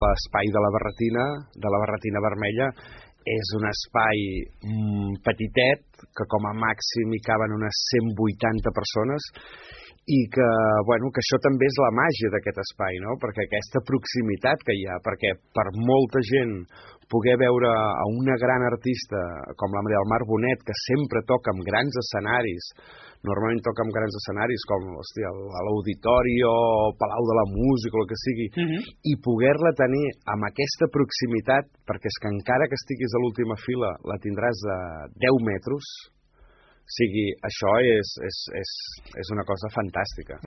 L'espai de la barretina vermella, és un espai petitet, que com a màxim hi caben unes 180 persones, i que, bueno, que això també és la màgia d'aquest espai, no? Perquè aquesta proximitat que hi ha, perquè per molta gent poder veure a una gran artista com la Maria del Mar Bonet, que sempre toca en grans escenaris, normalment toca en grans escenaris com, hòstia, l'Auditori o el Palau de la Música o el que sigui, i poder-la tenir amb aquesta proximitat, perquè és que encara que estiguis a l'última fila la tindràs a 10 metres, o sigui, això és una cosa fantàstica.